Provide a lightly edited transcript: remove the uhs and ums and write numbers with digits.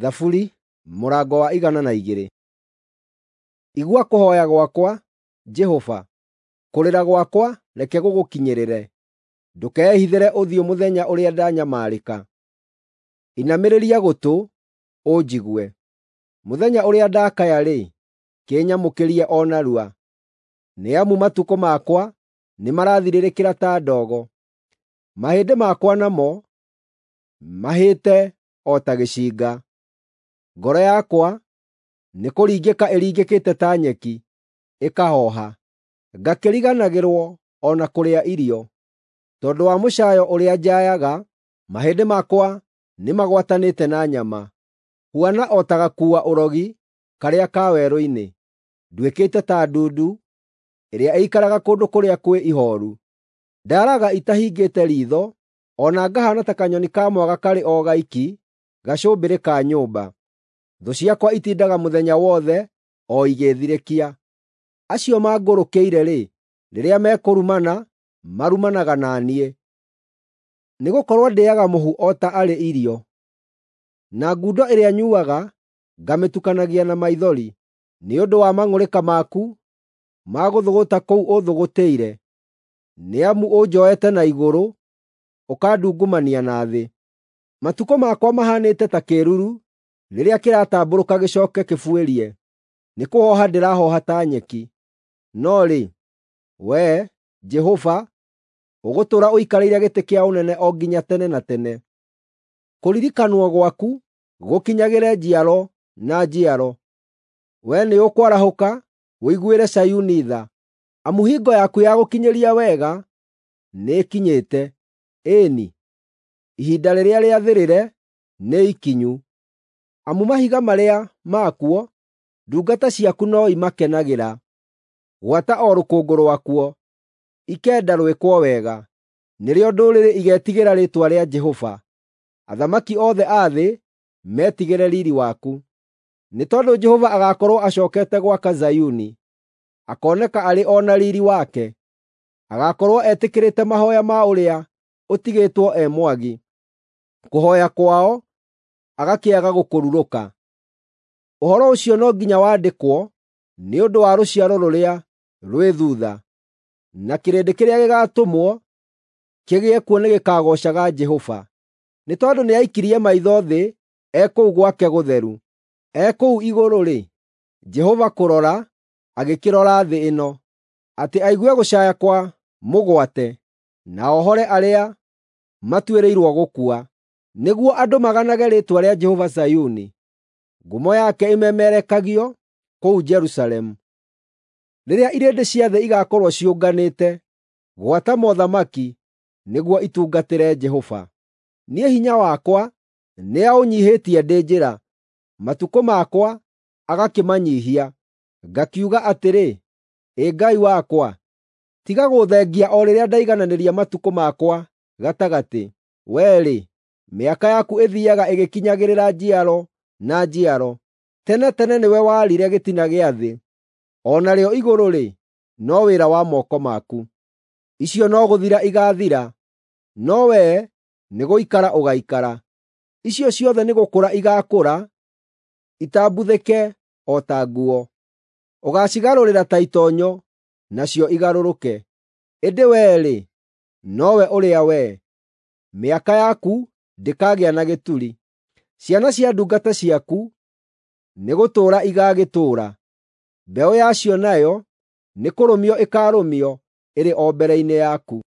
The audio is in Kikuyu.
Thaburi mũrango wa 102. Igua kũhooya gwakwa, Jehova, kũrĩra gwakwa reke gũgũkinyĩrĩre. Ndũkehithĩre ũthiũ mũthenya ũrĩa ndanyamarĩka. Inamĩrĩria gũtũ, ũnjigue. Mũthenya ũrĩa ndakaya-rĩ, kĩnyamũkĩrie o narua. Nĩ amu matukũ makwa nĩmarathirĩrĩkĩra ta ndogo, mahĩndĩ makwa namo mahĩte o ta gĩcinga. Ngoro yakwa nĩkũringĩka ĩringĩkĩte ta nyeki, ĩkahooha, ngakĩriganagĩrwo o na kũrĩa irio. Tondũ wa mũcaayo ũrĩa njaayaga, mahĩndĩ makwa nĩmagwatanĩte na nyama. Huana o ta gakuua-ũrogi karĩa ka werũ-inĩ, nduĩkĩte ta ndundu ĩrĩa ĩikaraga kũndũ kũrĩa kwĩ ihooru. Ndaaraga itahingĩte riitho, o na ngahaana ta kanyoni ka mwaga karĩ o gaiki gacũmbĩrĩ ka nyũmba. Thũ ciakwa itindaga mũthenya wothe o igĩĩthirĩkia. Acio mangũrũkĩire-rĩ, rĩrĩa mekũrumana, marumanaga na niĩ. Nĩgũkorwo ndĩĩaga mũhu o ta arĩ irio, na ngundo ĩrĩa nyuuaga ngamĩtukanagia na maithori, nĩ ũndũ wa mang'ũrĩka maku ma gũthũgũta kũu ũthũgũtĩire, nĩ amu ũnjoete na igũrũ, ũkandungumania na thĩ. Matukũ makwa mahaanĩte ta kĩĩruru rĩrĩa kĩratambũrũka gĩcooke kĩbuĩrie, nĩkũhooha ndĩrahooha ta nyeki. No rĩ, Wee, Jehova, ũgũtũũra ũikarĩire gĩtĩ kĩa ũnene o nginya tene na tene. Kũririkanwo gwaku gũkinyagĩre njiaro na njiaro. Wee nĩũkwarahũka ũiguĩre Zayuni tha, amu hingo yaku ya gũkinyĩria wega nĩĩkinyĩte, ĩĩ-ni, ihinda rĩrĩa rĩathĩrĩre nĩ ikinyu. Amu mahiga marĩa makuo, ndungata ciaku no imakenagĩra, gwata o rũkũngũ rwakuo, ikenda rwĩkwo wega. Nĩrĩo ndũrĩrĩ igeetigĩra rĩĩtwa rĩa Jehova, athamaki othe a thĩ metigĩre riiri waku. Nĩ tondũ Jehova agaakorwo acookete gwaka Zayuni, akooneka arĩ o na riiri wake. Agaakorwo etĩkĩrĩte mahooya ma ũrĩa ũtigĩtwo e mwagi, kũhooya kwao agakĩaga gũkũrurũka. Ũhoro ũcio no nginya wandĩkwo nĩ ũndũ wa rũciaro rũrĩa rwĩ thuutha, na kĩrĩndĩ kĩrĩa gĩgaatũmwo kĩgĩe kuo nĩgĩkagoocaga Jehova. Nĩ tondũ nĩaikirie maitho thĩ e kũu gwake gũtheru, e kũu igũrũ-rĩ, Jehova kũrora agĩkĩrora thĩ ĩno, atĩ aigue gũcaaya kwa mũgwate, na ohore arĩa matuĩrĩirwo gũkua, nĩguo andũ maganage rĩĩtwa rĩa Jehova Zayuni, ngumo yake ĩmemerekagio kũu Jerusalemu. Rĩrĩa irĩndĩ cia thĩ igaakorwo ciũnganĩte, gwata mothamaki, nĩguo itungatĩre Jehova. Niĩ hinya wakwa nĩaũnyiihĩtie ndĩ njĩra, matukũ makwa agakĩmanyiihia. Ngakiuga atĩrĩ, “Ĩ Ngai wakwa, tiga gũũthengia o rĩrĩa ndaigananĩria matukũ makwa gatagatĩ. Wee-rĩ, mĩaka yaku ĩthiiaga ĩgĩkinyagĩrĩra njiaro na njiaro. Tene tene nĩwe waarire gĩtina gĩa thĩ, o narĩo igũrũ-rĩ, no wĩra wa moko maku. Icio no gũthira igaathira, no wee nĩgũikara ũgaikara. Icio ciothe nĩgũkũra igaakũra, itambuthĩke o ta nguo. Ũgaacigarũrĩra ta itoonyo, nacio igarũrũke. Ĩndĩ wee-rĩ, nowe ũrĩa wee, mĩaka yaku ndĩkagĩa na gĩturi. Ciana cia ndungata ciaku nĩgũtũũra igaagĩtũũra, mbeũ yacio nayo nĩkũrũmio ĩkaarũmio ĩrĩ o mbere-inĩ yaku.